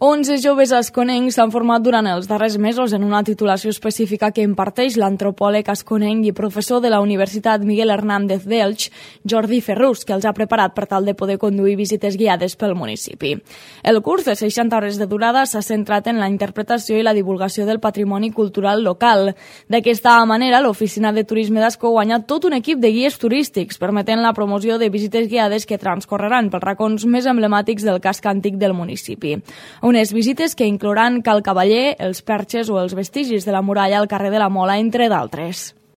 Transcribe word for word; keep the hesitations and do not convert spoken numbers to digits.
onze joves asconencs s'han format durant els darrers mesos en una titulació específica que imparteix l'antropòleg asconenc i professor de la Universitat Miguel Hernández d'Elx, Jordi Ferrús, que els ha preparat per tal de poder conduir visites guiades pel municipi. El curs de seixanta hores de durada s'ha centrat en la interpretació i la divulgació del patrimoni cultural local. D'aquesta manera, l'Oficina de Turisme d'Ascó guanya tot un equip de guies turístics, permetent la promoció de visites guiades que transcorreran pels racons més emblemàtics del casc antic del municipi. Unes visites que inclouran Cal Cavaller, els Perxes o els vestigis de la muralla al carrer de la Mola, entre d'altres.